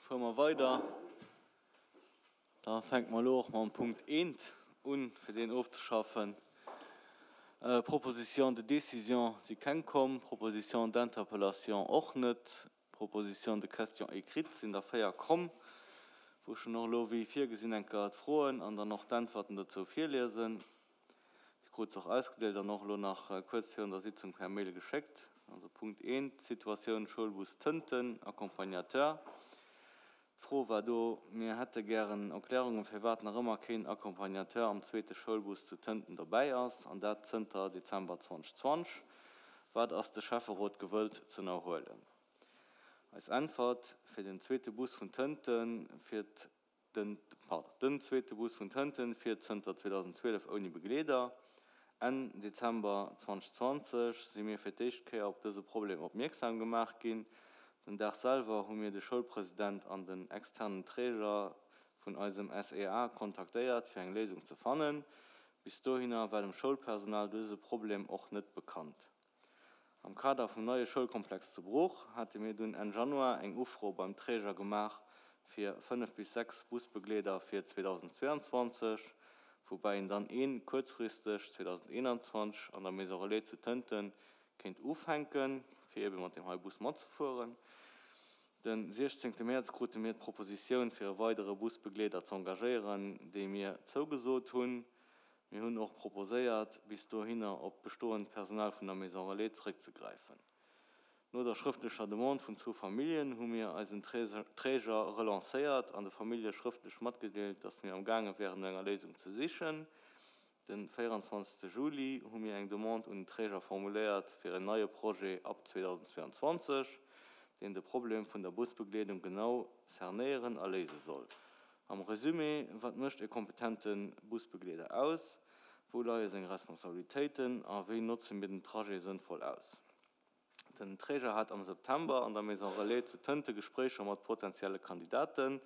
Fuere mer weider. Da fänke mer elo och mam Punkt eent un, fir deen ofzeschaffen. Propositions de décision si keng komm, Propositions d'interpellation och net, Propositions de questions écrites sinn der 4 komm, wou ech dann och elo wéi virgesinn eng Kéier d'Froen an dann och d'Äntwerten dozou virliesen. Dir krut se och ausgedeelt an och elo nach kuerz virun der Sitzung per Mail geschéckt. Also Punkt eent, Situatioun Schoulbus Tënten, Accompagnateur. D'Fro war do, Mir hätte gären Erklärungen, firwat nach ëmmer keen Accompagnateur am zweete Schoulbus zu Tënten dobäi ass, an dat zënter Dezember 2020. Wat ass de Schäfferot gewëllt z'ënnerhuelen? Eis Äntwert, Fir den zweete Bus vun Tënten fiert Den, pardon, den zweete Bus vun Tënten fiert zënter 2012 ouni Begleeder. Enn Dezember 2020 si mir fir d'éischt Kéier op dëse Problem opmierksam gemaach ginn. Den Dag selwer hu mir de Schoulpresident an den externen Träger vun eisem SEA kontaktéiert fir eng Léisung ze fannen. Bis dohinner war dem Schoulpersonal dëse Problem och net bekannt. Am Kader vum neie Schoulkomplex zu Bruch hate mir dunn Enn Januar eng Ufro beim Träger gemaach fir 5 bis 6 Busbegleeder fir 2022, woubäi een dann ee kuerzfristeg 2021 an der Maison Relais zu Tënten kéint ufänken, fir ebe mat deem hei Bus matzefueren. De 16 Mäerz krute mir d'Propositioun fir e weidere Busbegleeder z'engagéieren, déi mir zougesot hunn. Mir hunn och proposéiert, bis dohinner op d'bestoend Personal vun der Maison Relais zrëckzegräifen. No der schrëftlecher Demande vun zwou Familljen hu mir eisen Träger relancéiert an de Famillje schrëftlech matgedeelt, dass mir am gaange wären no enger Léisung ze sichen. De 24 Juli hu mir eng Demande un den Träger formuléiert fir en neie Projet ab 2022, deen de Problem vun der Busbegleedung genau cernéieren a léise soll. Am Resumé, Wat mécht e kompetente Busbegleeder aus? Wou leie seng Responsabilitéiten a wéi notze mir den Trajet sënnvoll aus? Den Träger hat am September an der Maison Relais zu Tënte Gespréicher mat potentielle Kandidaten.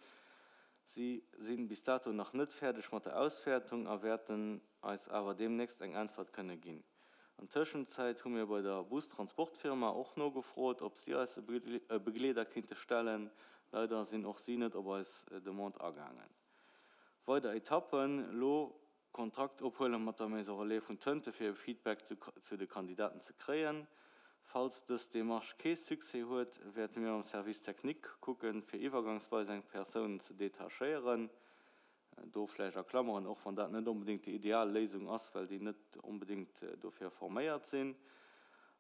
Si si bis dato nach net fäerdeg mat der Auswäertung a wäerten eis awer deemnächst eng Äntwert kënne ginn. An Tëschenzäit hu mir bei der Bustransportfirma och nogefrot, ob si eis e Begleeder kinnte stellen. Leider sinn och si net op eis Demande agaangen. Weider Etappen, Lo Kontakt ophuele mat der Maison Relais vun Tënte fir e Feedback zu de Kandidaten ze kréien. Falls dës Demarche kee Succès huet, wäerte mir mam Service technique kucken, fir iwwergangsweis eng Persoun ze detachéieren. Do vläicht a Klammeren, och wann dat net onbedéngt déi ideal Léisung ass, well déi net onbedéngt dofir forméiert sinn.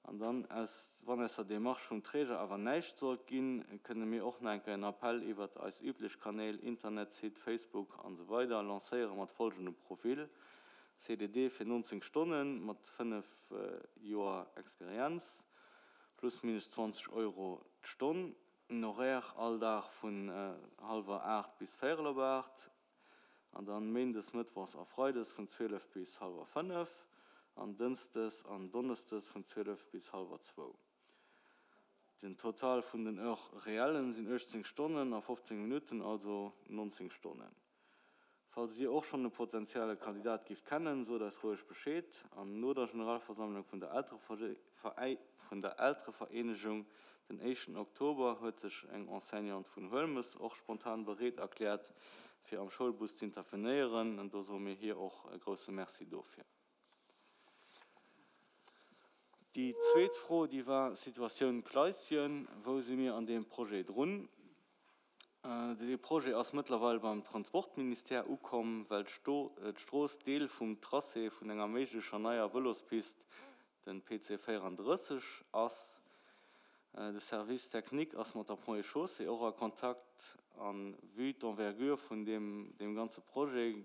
An dann, aus, wann aus der Démarche vum Träger awer näischt sollt ginn, kënne mir och nach eng Kéier en Appell iwwert eis üblech Kanäl, Internetsite, Facebook an esou weider, lancéiere mat folgendem Profil, CDD fir 19 Stonnen mat 5 Joer Experienz, plus minus 20 Euro d'Stonn. En Horaire all Dag vun hallwer 8 bis véierel op 8 an dann méindes, mëttwochs a freides vun 12 bis hallwer 5 an dënschdes an donneschdes vun 12 bis hallwer zwou. Den Total vun den Heures réellen sinn 18 Stonnen a 15 Minutten, also 19 Stonnen. Falls Dir och schonn e potentielle Kandidat gift kennen, sot eis roueg Bescheed. An no der Generalversammlung vun der Elterevereenegung den éischten Oktober huet sech eng Enseignante vun Huelmes och spontan bereet erkläert fir am Schoulbus z'intervenéieren. An do soe mir hir och e grousse Merci dofir. Déi zweet Fro, déi war Situatioun Kleisschen, Wou si mir an deem Projet drun? Dee Projet ass mëttlerweil beim Transportministère ukomm, well d'Strooss Deel vum Tracé vun enger méiglecher neier Vëlospist, den PC 34, ass. De Service technique ass mat der Ponts et Chaussées och a Kontakt a vue d'envergure vun deem ganze Projet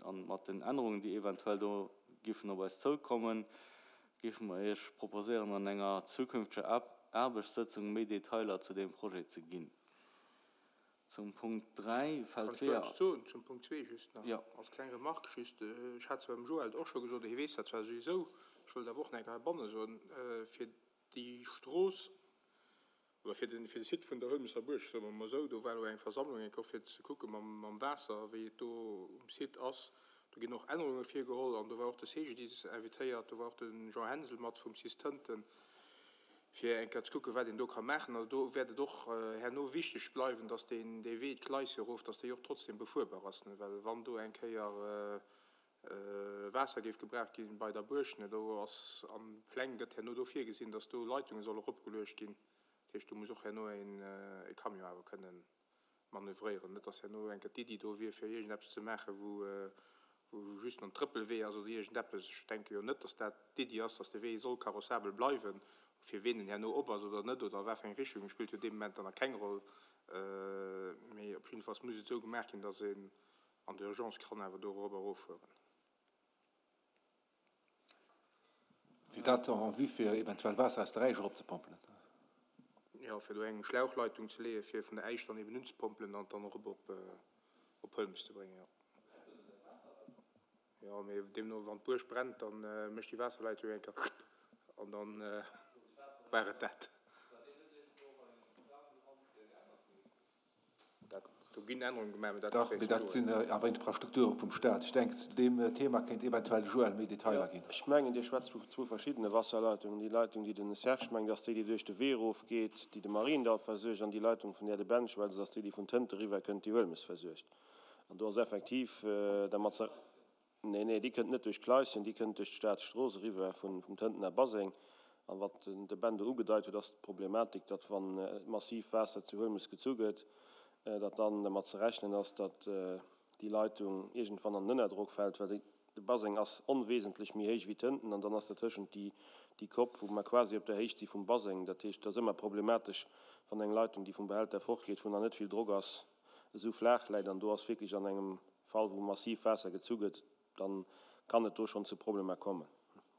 An mat den Ännerungen, déi eventuell do giffen op eis zoukommen, géife mer Iech proposéieren, an enger zukünfteger Aarbechtssëtzung méi Detailer zu deem Projet ze ginn. Zum Punkt 3 fält Kann ech do eppes soen zum Punkt 2 just nach als kleng Remarque just? Ech hat zwar dem Joël et och scho gesot, hie weess dat zwar souwisou, ech wëll et awer och nach eng Kéier heibanne soen, fir déi Strooss, oder fir de fir de Site vun der Huelmesser Buerg, soe mer emol esou, do war elo eng Versammlung eng Kéier och fir ze kucke mam mam Waasser, wéi et do um Site ass. Do ginn och Ännerunge virgeholl an do war och de CGDIS invitéiert, do war och de Jean Hensel mat vum cis Tënten. Fir eng Kéier ze kucken, wat een do ka maachen. Also do wäert et och herno wichteg bleiwen, dass deen, dee Wee, d'Gleis erof, dass déi och trotzdem befuerbar ass, ne, well wann do eng Kéier Waasser géif gebraucht gi bei der Buerg, ne, do ass an Pläng gëtt herno do virgesinn, dass do Leitunge solle eropgeluecht ginn. Dat heescht, do muss och herno een e Camion awer kënnen manövréieren. Net, dass herno eng Kéier d'Iddi do wier, fir iergendeppes ze maachen, wou wou just en Trëppelwee ass oder iergendeppes. Ech denke jo net, dass dat d'Iddi ass, dass de Wee soll carrossabel bleiwen. Fir ween en herno op ass oder net oder a wat fir eng Richtung, spillt jo dee Moment dann nach keng Roll. Mee op jiddefalls muss et esou gemaach ginn, dass een an der Urgence kann awer do erop a eroffueren. Wier dat en vue fir eventuell Waasser aus der Äisch eropzepompelen? Jo, fir do eng Schlauchleitung ze leeën, fir vun der Äisch dann eben unzepompelen an et dann erop op Huelmes ze bréngen, jo. Jo, mee deemno, wann d'Buerg brennt, da mécht déi Waasserleitung eng Kéier rrpp an dann war et dat. Dat, do ginn Ännerunge gemaach, mee dat Dach, mee dat sinn awer Infrastrukture vum Staat. Ech denken, zu deem Thema kéint eventuell de Joël méi Detailer ginn. Ech mengen, Dir schwätzt vu zwou verschiddene Wasserleitungen. Déi Leitung, déi den Serge mengt, ass déi, déi duerch de Wee erofgeet, déi de Mariendall versuergt, an déi Leitung, vun där de Ben schwätzt, ass déi, déi vun Tënte eriwwer kënnt, déi Huelmes versuergt. An do ass effektiv dermat ze. Nee, nee, déi kënnt net duerch d'Kleischen, déi kënnt duerch d'Staatsstrooss eriwwer vum Tëntener Baseng. An wat de Ben do ugedeit huet, ass d'Problematik, datt wa massiv Waasser zu Huelmes gezu gëtt, datt dann dermat ze rechnen ass, datt déi Leitung iergendwann an den Ënnerdrock fält, well de Baseng ass onwesentlech méi héich wéi Tënten an dann ass dertëschent déi Kopp, wou mer quasi op der Héicht si vum Baseng. Dat heescht, et ass ëmmer problematesch, wann eng Leitung, déi vum Behälter fortgeet, wou nach net vill Drock ass, esou flaach läit an do ass wierklech an engem Fall, wou massiv Waasser gezu gëtt, dann kann et do schonn zu Problemer kommen.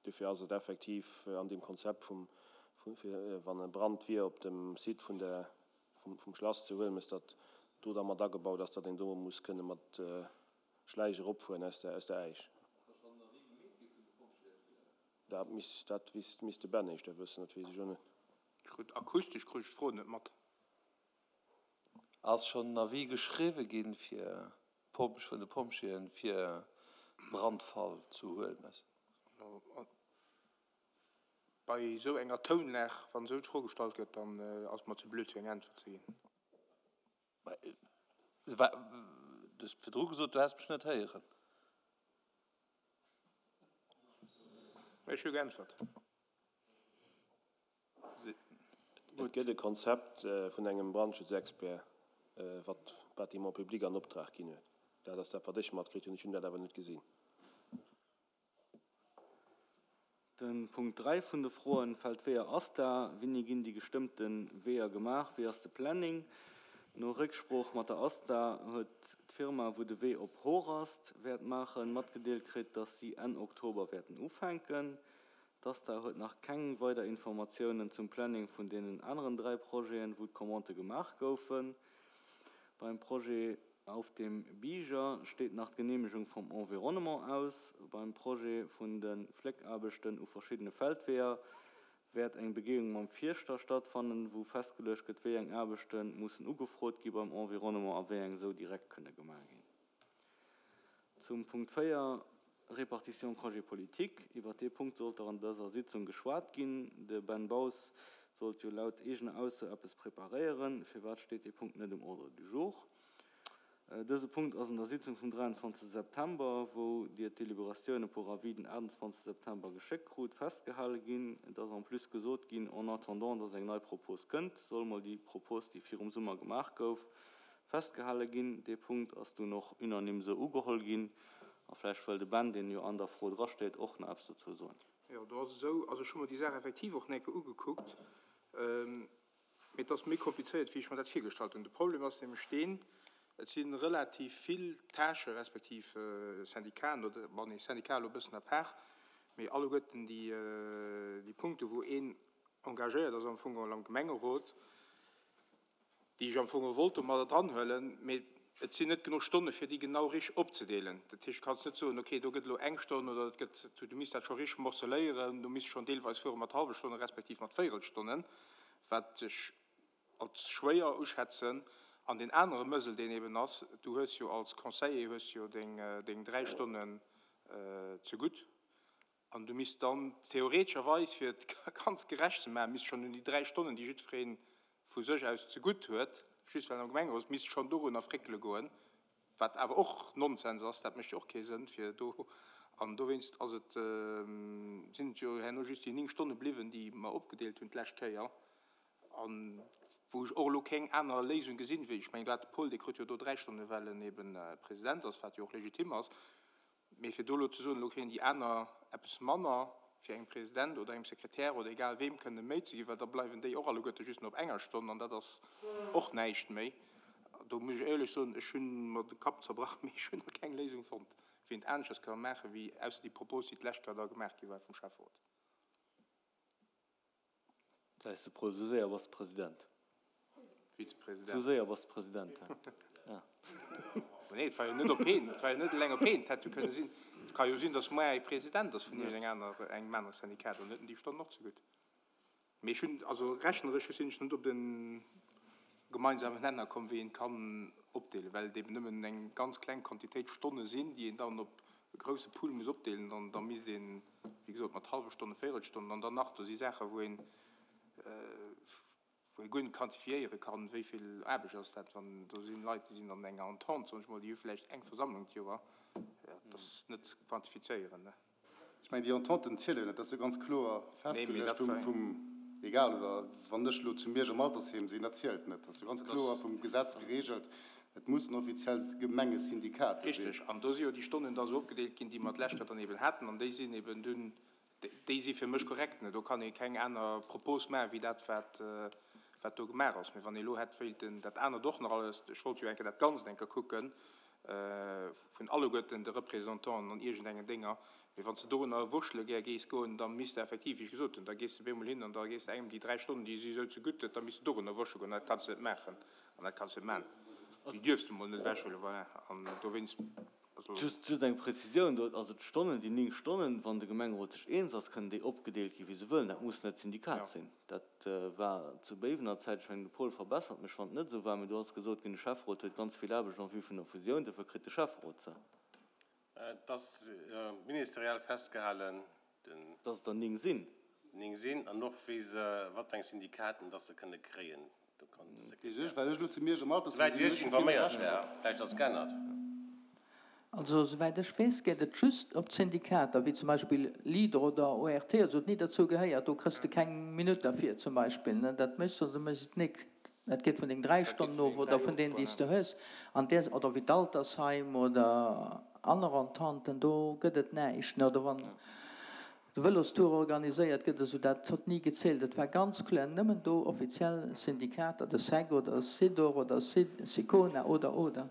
Dofir ass et effektiv an deem Konzept vum, fir wann e Brand wier op dem Site vun der, vum Schlass zu Huelmes, datt do da mat agebaut ass, datt een do muss kënne mat Schläich eropfueren aus der, aus der Äisch. Dat misst, dat misst de Ben éischter wëssen, dat weess ech och net. Ech krut akustesch krut ech d'Fro net mat. Ass schonn en Avis geschriwwe ginn fir d'Pompj vun de Pompjeeën fir Brandfall zu Huelmes? Bei esou enger Tounlag, wann esou d'Fro gestallt gëtt, dann ass et mer ze blöd fir eng Äntwert ze ginn. Du hues virdru gesot, du häss mech net héieren. Ech hu geäntwert. Et gëtt e Konzept vun engem Brandschutzexpert, wat d'Bâtiments publics an Optrag ginn huet. Dat ass dat, wat ech matkritt hunn. Ech hunn dat awer net gesinn. De Punkt 3 vun de Froen, Feldweeër ASTA, Wéini ginn déi gestëmmte Weeër gemaach? Wéi ass de Planning? No Récksprooch mat der ASTA huet d'Firma, wou de Wee op Horast wäert maachen, matgedeelt kritt, dass si Enn Oktober wäerten ufänken. D'ASTA huet nach keng weider Informatiounen zum Planning vun deenen aneren 3 Projeten, wou d'Commandë gemaach goufen. Beim Projet Auf dem Bieger steet nach d'Geneemegung vum Environnement aus. Beim Projet vun de Fléckaarbechten u verschiddene Feldweeër wäert eng Begehung mam Fierschter stattfannen, wou festgeluecht gëtt, wéi eng Aarbechte mussen ugefrot gi beim Environnement a wéi eng esou direkt kënne gemaach ginn. Zum Punkt 4, Répartition congé politique. Iwwert dee Punkt sollt der an dëser Sitzung geschwat ginn. De Ben Baus sollt jo laut eegener Ausso eppes preparéieren. Firwat steet dee Punkt net um Ordre du jour? Dëse Punkt ass an der Sitzung vum 23 September, wou Dir d'Délibératioune pour avis den 28 September geschéckt krut, festgehale ginn. Et ass en plus gesot ginn, en attendant dass eng nei Propos kënnt, soll mol déi Propos, déi virum Summer gemaach gouf, Festgehale ginn. Dee Punkt ass dunn och unanime esou ugeholl ginn. A vläicht wëll de Ben, deen jo an der Fro drasteet, och nach eppes dozou soen. Jo, do ass et esou, also ech hu mer déi Saach effektiv och eng Kéier ugekuckt, mee et ass méi komplizéiert, wéi ech mer dat virgestallt hunn. De Problem ass nämlech deen, et si relativ vill Tâchen, respektiv Syndicaten, oder, bon, nee, Syndicat elo e bëssen à part, mee alleguerten déi, déi Punkte wou een engagéiert ass am Fong geholl am Gemengerot, déi ech am Fong och wollt domadder dranhuelen, mee et sinn net genuch Stonne fir déi genau rich opzedeelen. Dat heescht, du kanns net soen, okay, do gëtt elo eng Stonn oder et gëtt, du misst dat scho rich morceléieren, du misst schonn deelweis fuere mat hallwe Stonnen respektiv mat Véierelstonnen, wat ech als schwéier uschätzen. An deen anere Mëssel, deen eben ass, du hues jo als Conseiller hues jo deng 3 Stonnen zegutt. An du misst dann theoretescherweis, fir et ganz gerecht ze maachen, misst schonn un déi 3 Stonnen, déi jiddweree vu sech aus zegutt huet, just well en am Gemengerot ass, misst schonn dorunner fréckele goen, wat awer och Nonsens ass, dat mécht jo och kee Sënn fir do. An dowéinst ass et, sinn et jo herno just déi 9 Stonne bliwwen, déi mer opgedeelt hunn d'lescht Kéier, a wou ech och elo keng aner Léisung gesinn, wéi, ech mengen, do hat de Paul, dee krut jo do 3 Stonne well en eben President ass, wat jo och legitim ass. Mee fir do elo ze soen, elo kréien déi aner eppes manner, fir engem President oder engem Sekretär oder egal weem kënne méi ze ginn, well da bleiwen déi och alleguerte just nach op enger Stonn an dat ass och näischt méi. Do muss ech éierlech soen, ech hu mer de Kapp zerbrach, mee ech hunn nach keng Léisung fonnt, wéi een et aneschters ka maachen, wéi ausser déi Propos, déi d'lescht Kéier da gemaach gi war vum Schäfferot. Säis de Paul, sou séier bass de President. Vizepresident. Sou séier bass de President, ja. Nee, et war jo net op een, et war jo net eleng op een, et hätt jo kënne sinn, et ka jo sinn, datt muer ee President ass vun iergend aner, engem anere Syndikat, dann huet en déi Stonnen och zegutt. Mee ech hunn, also rechneresch sinn ech net op e gemeinsamen Nenner komm, wéi een kann opdeelen, well et eben nëmmen eng ganz kleng Quantitéit Stonne sinn, déi een dann op e grousse Pool muss opdeelen, dann da misst een, wéi gesot, mat hallwe Stonnen, Véirelstonnen an dann nach, do si Saachen, wou een, wou ee guer net quantifiéiere kann, wéi vill Aarbecht ass dat, wann do sinn Leit, déi sinn an enger Entente, soen ech mol, déi hu vläicht eng Versammlung d'Joer, dat ass net ze quantifizéieren. Ech mengen, déi Ententen ziele jo net, dat ass jo ganz kloer festgeluecht vum, egal, oder wann ech elo zu Miersch am Altersheem sinn, dat zielt net. Dat ass jo ganz kloer vum Gesetz geregelt, et mussen offiziell Gemengesyndikater sinn. Richtig, an do si jo déi Stonnen da sou opgedeelt ginn, déi mer d'lescht Joer dann eben haten, an déi sinn eben dunn, déi si fir mech korrekt. Do kann ee keng aner Propos maachen, wéi dat, wat, wat do gemaach ass. Mee wann ee elo hätt wéilten dat anert och nach alles, ech wollt jo eng Kéier dat Ganzt eng Kéier kucken, vun alleguerten de Représentanten an iergendengen Dénger, mee wann s de dorunner wurschtele gär gees goen, da misst de effektiv, wéi ech gesot hunn, da gees de bemol hin an da gees de engem déi 3 Stonnen, déi si esou zegutt huet, da misst de dorunner wurschtele goen. Dat kanns de net maachen an dat kanns de net maachen. Déi dierfs de mol net ewechhuelen, voilà. An dowéinst, also. Just, just eng Präzisioun do, also d'Stonnen, déi 9 Stonnen, wann de Gemengerot sech eens ass, kënnen déi opgedeelt gi wéi se wëllen. Dat muss net d'Syndikat sinn. Dat war zu Béiwener Zäit, ech mengen de Paul verbessert mech wann et net esou war, mee do ass gesot ginn, de Schäfferot huet ganz vill Aarbecht en vue vun der Fusioun, dofir kritt de Schäfferot se. Et ass ministeriell festgehalen, den. Dass et der 9 sinn. 9 sinn an och wéi se, wat fir eng Syndikaten dass se kënne kréien. Do kann de Sekretär. Well ech elo zu Miersch am Altersheem sinn, hunn ech jo keen Recht drop. Vläicht ass geännert. Also souwäit ech weess, geet et just op d'Syndikater, wéi zum Beispill Leader oder ORT oder sou, ni derzou gehéiert. Do kriss de keng Minutt derfir zum Beispill. Dat méchs de oder du méchs et nik. Dat geet vun deng 3 Stonnen of oder vun deenen, déi s de hues. An där, oder wéi d'Altersheim oder aner Ententen, do gëtt et näischt. Oder wann de Vëlostour organiséiert gëtt, esou, dat huet ni gezielt. Et war ganz kloer nëmmen do offiziell Syndikater, de SEC oder SIDOR oder SICONA oder, oder.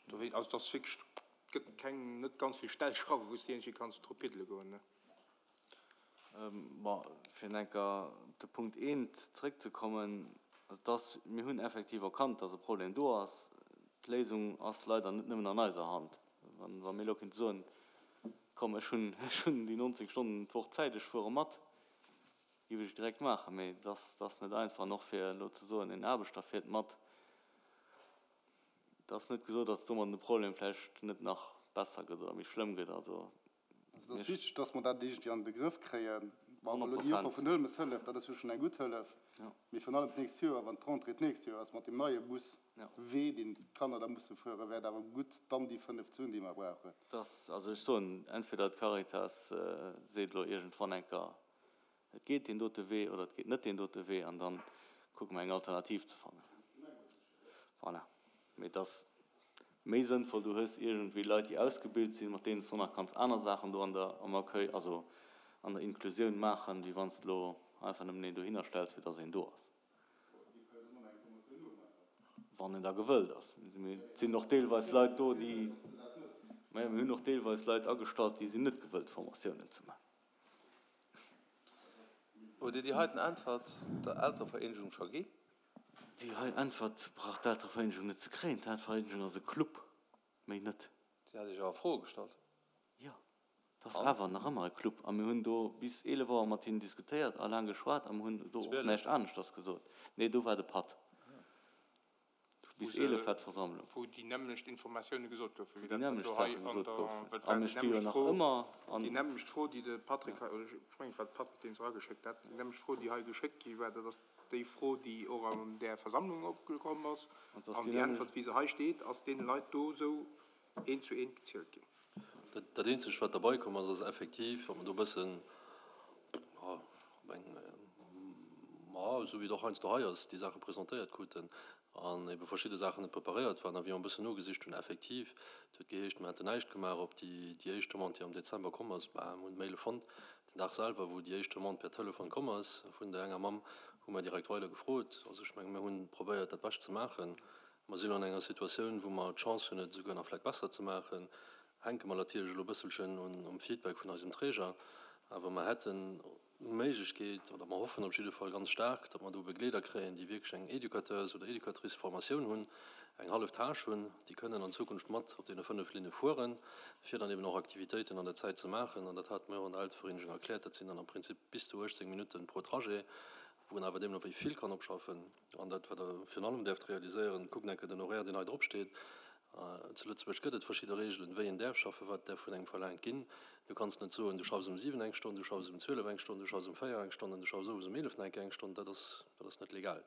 Dowéi, also et ass wierklech, et gëtt keng, net ganz vill Stellschrauwen, wou s de iergendwéi kanns dru piddele goen, ne. Bon, fir nach eng Kéier op de Punkt eent zrëckzekommen, also et ass, mir hunn effektiv erkannt, dass e Problem do ass. D'Léisung ass leider net nëmmen an eiser Hand. Wa mir elo kéinte soen, komm ech hunn, ech hunn déi 19 Stonnen d'Woch Zäit, ech fuere mat, géif ech et direkt maachen. Mee et ass, et ass net einfach. An och fir elo ze soen, en Aarbechter fiert mat, Et ass net gesot, datt domadden de Problem vläicht net nach besser gëtt oder méi schlëmm gëtt. Also Also et ass wichteg, datt mer dat iergendwéi an de Grëff kréien. Bon, elo déi Offer vun Hëlmes hëlleft, dat ass jo schonn eng gutt Hëllef. Mee virun allem d'nächst Joer, wann d'Rentrée d'nächst Joer ass, mat deem neie Buswee, deen d'Kanner da musse fueren, wär et awer gutt, dann déi 5 ze hunn, déi mer brauchen. Dass, also ech soen, entweder d'Caritas seet elo iergendwann eng Kéier, Et geet deen dote Wee oder et geet net deen dote Wee an dann kucke mer eng Alternativ ze fannen. Voilà. Mee et ass méi sënnvoll, du hues iergendwéi Leit, déi ausgebilt sinn, mat deenen s du nach kanns aner Saachen do an der, am Accueil, also an der Inklusioun maachen, wéi wann s de elo einfach nëmmen een dohinner stells, fir dass een do ass. Wann en da gewëllt ass. Mee et sinn och deelweis Leit do, déi, majo, mir hunn och deelweis Leit agestallt, déi sinn net gewëllt, Formatiounen ze maachen. Hutt Dir déi heiten Äntwert der Elterevereenegung scho gi? Déi hei Äntwert brauch d'Elterevereenegung net ze kréien. D'Elterevereenegung ass e Club, méi net. Si hat Iech awer Froe gestallt. Jo, et ass awer nach ëmmer e Club. A mir hunn do bis 11 Auer mat hinnen diskutéiert a laang geschwat a mir hunn do och näischt aneschters gesot. Nee, do war de Patt. Bis 11 war d'Versammlung. Wou déi nämmlecht Informatioune gesot goufen, wéi dat, wat elo hei an der, well et war déi nämmlecht Fro, déi nämmlecht Fro, déi de Patrick hei, oder ech mengen, et war de Patrick, deen se erageschéckt hat, déi nämmlecht Fro, déi hei geschéckt gi war, dat ass déi Fro, déi och an där Versammlung opgekomm ass. An déi Äntwert, wéi se hei steet, ass deene Leit do esou eent zu eent gezielt ginn. Dat eenzegt, wat derbei komm ass, ass effektiv, datt mer do e bëssen, jo, op eng, ma esou wéi et och heiansdo hei ass, déi Saache presentéiert kruten an ebe verschidde Saachen net preparéiert waren a wéi mer e bëssen nogesicht hunn, effektiv, et huet geheescht, mer hätten näischt gemaach op déi, déi éischt Demande, déi am Dezember komm ass. Bah, mer hunn d'Maile fonnt, den Dag selwer, wou déi éischt Demande per Telefon komm ass vun där enger Mamm, hu mer direkt weider gefrot. Also ech menge mir hu probéiert, dat Bescht ze maachen. Mer sinn elo an enger Situatioun, wou mer d'Chance hunn, et esouguer nach vläicht besser ze maachen. Hänke mer natierlech elo e bësselchen un um Feedback vun eisem Träger, awer mer hätten d'Méiglechkeet, oder mer hoffen op jidde Fall ganz staark, datt mer do Begleeder kréien, déi wierklech eng Éducateurs oder Éducatrice-Formatioun hunn, eng hallef Tâche hunn, déi kënnen an Zukunft mat op deene 5 Linne fueren, fir dann eben och Aktivitéiten an der Zäit ze maachen. An dat hate mer jo och an der Elterevereenegung erkläert, dat sinn dann am Prinzip bis zu 18 Minutten pro Trajet, wou een awer deemno wéi vill kann opschaffen. An dat, wat Der virun allem däerft realiséieren, kuckt enke den Horaire, deen hei drop steet. Zu Lëtzebuerg gëtt et verschidde Regeln, wéi een däerf schaffen, wat däerf vun engem verlaangt ginn. Du kanns net soen, du schaffs um 7 eng Stonn, du schaffs um 12 eng Stonn, du schaffs um 4 eng Stonn an du schaffs owes um 11 nach eng Kéier eng Stonn. Dat ass, dat ass net legal.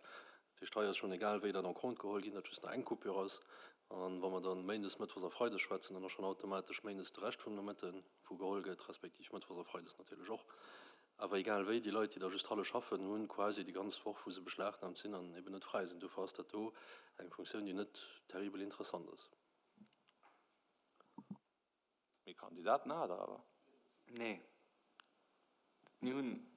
Dat heescht, hei ass schonn egal wéi dat en compte geholl ginn, datt just nach eng Coupure ass. An wa mer dann méindes, mëttwochs a freides schwätzen, dann ass schonn automatesch méindes de Rescht vum Nomëtten, wou geholl gëtt, respektiv mëttwochs a freides natierlech och. Awer egal wéi, déi Leit, déi da just hallef schaffen, hu quasi déi ganz Woch, wou se beschlagnahmt sinn an eben net fräi sinn. Dofir ass dat do eng Funktioun, déi net terribel interessant ass. Mee Kandidaten hat Der awer? Nee, mir hunn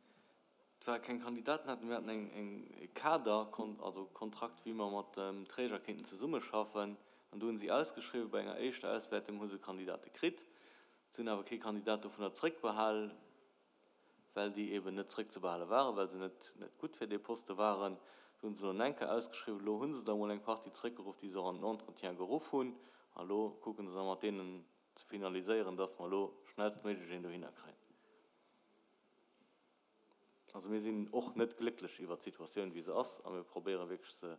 zwar keng Kandidaten haten, mir haten eng, eng, e Kader, also Kontrakt, wéi mer mat dem Träger kéinten zesummeschaffen. An do hunn si ausgeschriwwen. Bei enger éischter Auswäertung hu se Kandidate kritt. Se hunn awer kee Kandidat dovunner zréckbehal. well déi eben net zrëckzebehale waren, well se net net gutt fir dee Poste waren. Do hu se elo enker ausgeschriwwen. Elo hu se der emol eng Partie zrëckgeruff, déi se och an den Entretien geruff hunn. A elo kucke se da mat deenen ze finaliséieren, dass mer elo schnellstméiglech een dohinner kréien. Also mir sinn och net glécklech iwwert d'Situatioun, wéi se ass, a mir probéiere wierklech se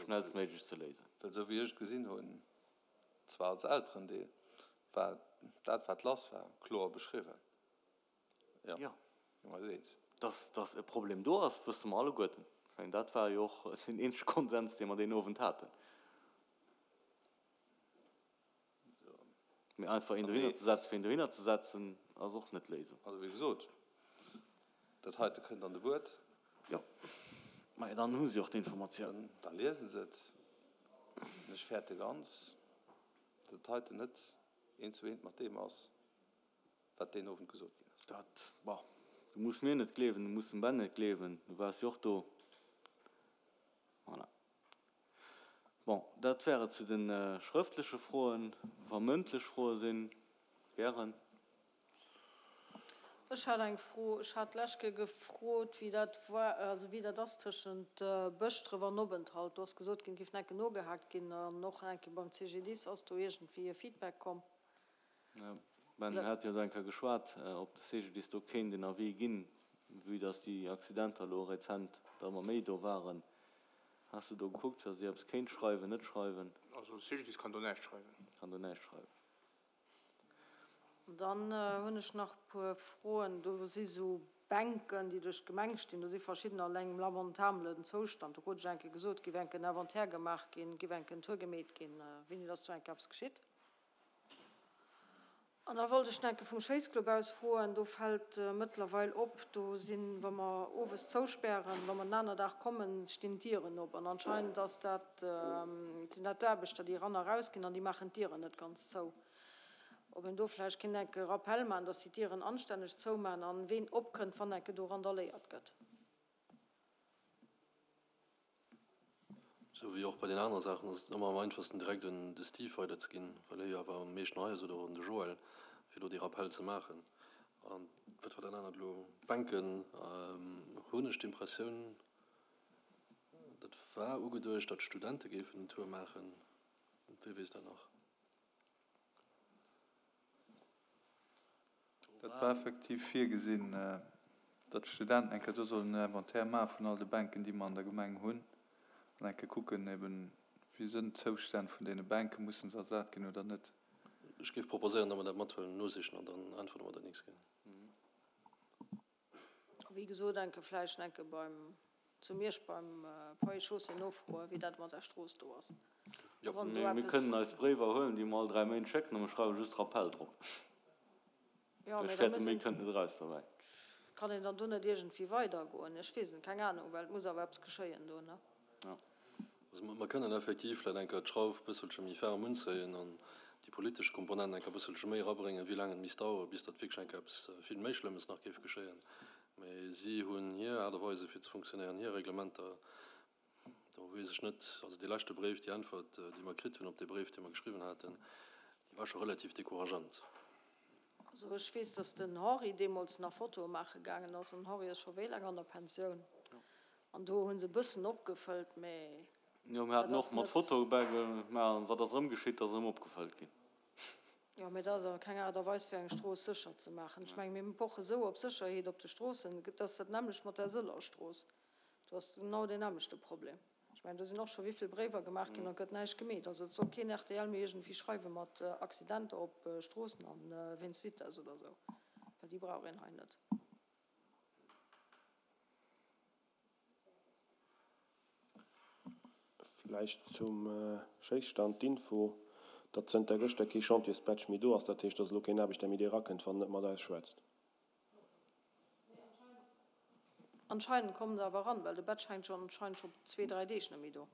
schnellstméiglech ze léisen. Well esou wéi ech et gesinn hunn, zwar als Elterendeel, war dat, wat lass war, kloer beschriwwen. Jo, gi mer eis eens. Dass, dass e Problem do ass, wësse mer alleguerten. Ech mengen, dat war jo och den eenzege Konsens, dee mer deen Owend haten. Mee einfach een dohinner ze setzen, fir een dohinner ze setzen, ass och net d'Léisung. Also, wéi gesot, dat heite kënnt an de Buet. Jo, mä dann hu si och d'Informatioun. Da liese se et. An ech fäerte ganz, datt dat heiten net eent zu eent mat deem ass, wat deen Owend gesot ginn ass. Dat, bon, du muss mir net gleewen, du muss dem Ben net gleewen, du waars jo och do. Voilà. Bon, dat wär et zu de schrëftleche Froen. Wa mëndlech Froe sinn, gären. Ech hat eng Fro. Ech hat d'lescht Kéier gefrot, wéi dat war, also wéi dat ass tëschent Bëschdref an Openthalt. Do ass gesot ginn, et géif nach eng Kéier nogehaakt ginn an och nach eng Kéier beim CGDIS. Ass do iergendwéi e Feedback komm? Ben hat jo do eng Kéier geschwat, ob de CGDIS do kéint en Avis ginn, vue dass déi Accidenter elo rezent der ëmmer méi do waren. Has de do gekuckt, wa si eppes kéint schreiwen, net schreiwen? Also de CGDIS kann do näischt schreiwen. Kann do näischt schreiwen. Dann hunn ech nach e puer Froen. Do si sou Bänken, déi duerch d'Gemeng stinn. Do si verschiddener an engem lamentabelen Zoustand. Do krut ech eng Kéier gesot, et géif eng Kéier en Inventaire gemaach ginn, et géif eng Kéier en Tour gemeet ginn. Wéini ass do eng Kéier eppes geschitt? An da wollt ech nach eng Kéier vum Schéissclub aus froen. Do fält mëttlerweil op, do sinn, wa mer owes zouspären, wa mer den aner Dag kommen, stinn d'Dieren op. An anscheinend ass dat, sinn dat d'Aarbechter, déi eran a rausginn an déi maachen d'Dieren net ganz zou. Ob een do vläicht kéint enke Rappel maachen, dass si d'Dieren anstänneg zoumaachen an ween opkënnt, wann enke do randaléiert gëtt. Sou wéi och bei den anere Saachen ass et ëmmer am einfachsten direkt un de Steve weiderzeginn, well hie jo awer am meeschten hei ass, oder och un de Joël, fir do dee Rappel ze maachen. A wat war dat anert elo? D'Bänken, hunn ech d'Impressioun, dat war ugeduecht, datt d'Studente géifen en Tour maachen. Wie weess dat nach? Dat war effektiv virgesinn, datt d'Studenten eng Kéier do sollen en Inventaire maache vun all de Bänken, déi mer an der Gemeng hunn. An eng Kéier kucken eben, wéi sënn d'Zoustänn vun deene Bänken, mussen se ersat ginn oder net. Ech géif proposéieren, datt mer dat mathuelen, nosichen an dann äntwerte mer dat nächst Kéier. Wéi gesot, enke vläicht enke beim, zu Miersch beim Ponts et Chaussées nofroen, wéi dat mat der Strooss do ass. Jo, Wann do mir eppes. kënnen eis Bréiwer huelen, déi mer all 3 Méint schécken, a mer schreiwe just Rappel drop. Jo, Ech mee da fäerte, muss méi een. kënnt net eraus derbäi. Kann een dann do net iergendwéi weidergoen? Ech weess et net, keng Anung, well et muss awer eppes geschéien do, ne? Jo. Also mer kënnen effektiv vläicht eng Kéier d'Schrauf e bësselche méi ferm unzéien an déi politesch Komponent eng Kéier e bësselche méi erabréngen, wéi laang et misst daueren, bis datt wierklech eng Kéier eppes vill méi Schlëmmes nach géif geschéien. Mä si hunn hir Aart a Weise fir ze funktionéieren, hir Reglementer. Do weess ech net, also dee leschte Bréif, déi Äntwert, déi mer kritt hunn op dee Bréif, dee mer geschriwwen haten, déi war scho relativ décourageant. Also ech weess, datt den Henri deemools nach Fotoe maache gaangen ass. An den Henri ass scho wéi laang an der Pensioun? An do hu se e bëssen opgefëllt, mä Jo, mir dat haten och ass mat net. Fotoe bäigemaach. An wat ass erëm geschitt? Dat ass erëm opgefëllt ginn. Jo, mä dat ass awer keng Aart a Weis, fir eng Strooss sécher ze maachen. Ech menge mir poche sou op Sécherheet op de Stroossen. Et ass dat nämmlecht mat der Sëllerstrooss. Do ass genau deen nämmlechte Problem. Ech mengen, do sinn och scho wéivill Bréiwer gemaach ginn an et gëtt näischt gemeet. Also et soll keen rtl méi iergendwéi schreiwe mat Accidenter op Stroossen a wéinst Vitess oder esou, well déi brauch een hei net. Vläicht zum Schéisstand d'Info, datt zënter gëschter kee Chantiersbadge méi do ass. Dat heescht, datt elo keen Aarbechter méi dee rakënnt, wann en net mat eis schwätzt. Anscheinend kommen se awer eran, well de Badge hänkt jo anscheinend scho zwee, dräi Deeg net méi do.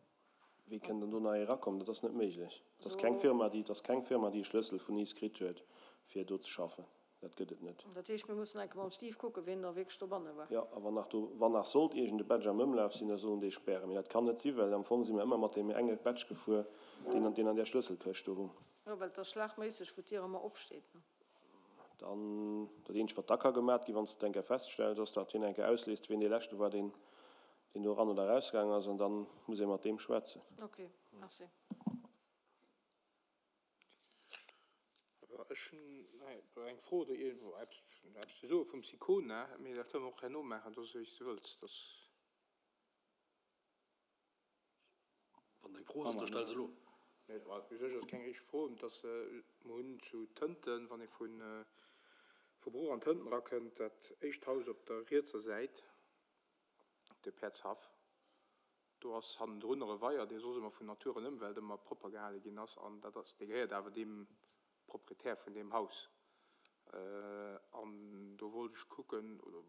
Wéi kënnt dann do nach ee erakommen? Dat ass net méiglech. Et ass keng Firma, déi, et ass keng Firma, déi e Schlëssel vun iis kritt huet, fir do ze schaffen. Dat gëtt et net. Dat heescht, mir mussen enke mam Steve kucken, wien da wierklech dobanne war. Jo, a wann nach do, wann nach sollt iergend e Badge am Ëmlaf sinn, da soll en dee spären. Mee dat kann net sinn, well am Fong si mer ëmmer mat deem enge Badge gefuer, deen, deen an där Schlësselkëscht do hung. Jo, well et ass schlagméisseg, wou d'Dier ëmmer opsteet, ne? Dann, dat eenzegt wat da ka gemat ginn, wann s de et eng Kéier feststells, ass datt hien eng Kéier ausléist, wien dee leschte war, deen deen do eran oder erausgaangen ass, an da muss ee mat deem schwätzen. Ok, merci. Ech hunn eng Fro oder iergendwou eppes ze soe vum Sicona, mee dat kënne mer och herno maachen, dat ass wéi s de wëlls. Wann et eng Fro ass, da stell se elo. Nee, u sech ass et keng richteg Fro. Et ass, mer hunn zu Tënten, wann ee vu vu Bruch an Tënten erakënnt, dat éischt Haus op der rietser Säit, de Päerdshaff, do ass hannendrun nach e Weier, dee soss ëmmer vun Natur an Ëmwelt ëmmer propper gehale ginn ass. An dat ass, dee gehéiert awer deem Proprietär vun deem Haus. An do wollt ech kucken, oder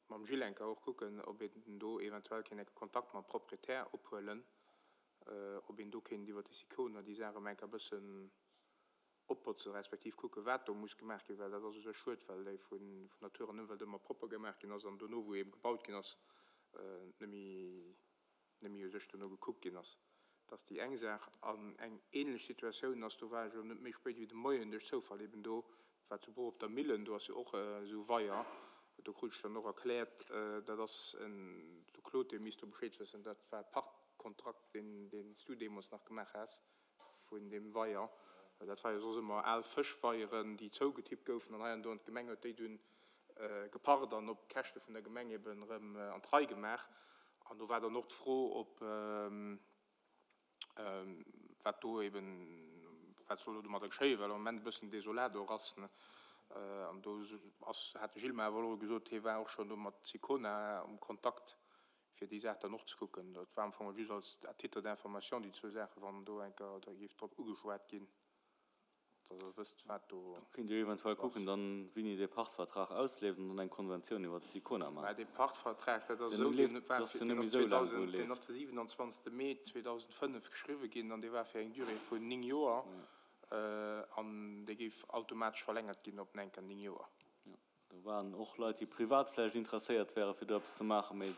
mam Gilles enker och kucken, ob een do eventuell kéint enke Kontakt mam Proprietär ophuelen, ob een do kéint iwwer de Sicona déi Saach erëm enker e bëssen opbotzen, respektiv kucken, wat do muss gemaach ginn, well dat ass u sech schued, well déi vun Natur an Ëmwelt ëmmer propper gemaach ginn ass an dono, wou eebe gebaut ginn ass, net méi. net méi u sech dono gekuckt ginn ass. Dat ass déi eng Saach. An eng ähnlech Situatioun ass, do war ech elo net méi spéit wéi de Moien duerch Zoufall eben do, dat war zu Bruch op der Millen, do ass jo och esou e Weier, do krut ech dann och erkläert, dat ass en, de Claude, dee misst do Bescheed wëssen, dat war e Pachtkontrakt, deen deen s du deemools nach gemaach has vun deem Weier. Dat war jo soss ëmmer al Fëschweieren, déi zougetippt goufen an hei an do, an d'Gemeng huet déi dunn gepacht an op Käschte vun der Gemeng eben erëm an d'Rei gemaach. An do war dann och d'Fro, ob, wat do eben, wat soll do domadder geschéien, well am Moment e bëssen desolat och ass. An do ass, hat de Gilles mer awer elo gesot, hie war och schonn do mat Sicona am Kontakt, fir déi Saach dann och ze kucken. Dat war am Fong just als à titre d'information déi zwou Saachen, wann do eng Kéier da géif drop ugeschwat ginn. Dass Der wësst, wat do Do kéint Dir eventuell kucken dann, wéini dee Pachtvertrag ausleeft an dann eng Konventioun iwwert de Sicona maachen. Mä dee Pachtvertrag, dat ass esou, deen war fir, deen ass 2000, deen ass de 27. Mee 2005 geschriwwe ginn an dee war fir eng Durée vun 9 Joer an dee géif automatesch verlängert ginn op enker 9 Joer. Do waren och Leit, déi privat vläicht interesséiert wären, fir do eppes ze maachen, mee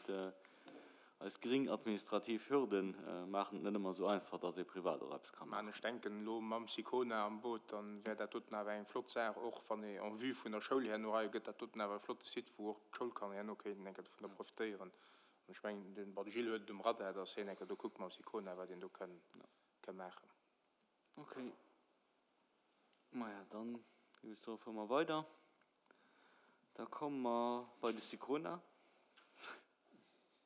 eis gering administrativ Hürde maachen et net ëmmer esou einfach, dass ee privat och eppes ka maachen. Ech denken elo mam Sicona am Boot, da wär dat doten awer eng flott Saach, och wann ee en vue vun der Schoul herno hei gëtt dat doten awer e flotte Site, wou och d'Schoulkanner herno kéinten eng Kéier dovunner profitéieren. An ech mengen, de bon, de Gilles huet et um Radar, dass hien eng Kéier do kuckt mam Sicona, wat een do kënn maachen. Okay. Maja, dann géif ech soen, fuere mer weider. Da komme mer bei de Sicona.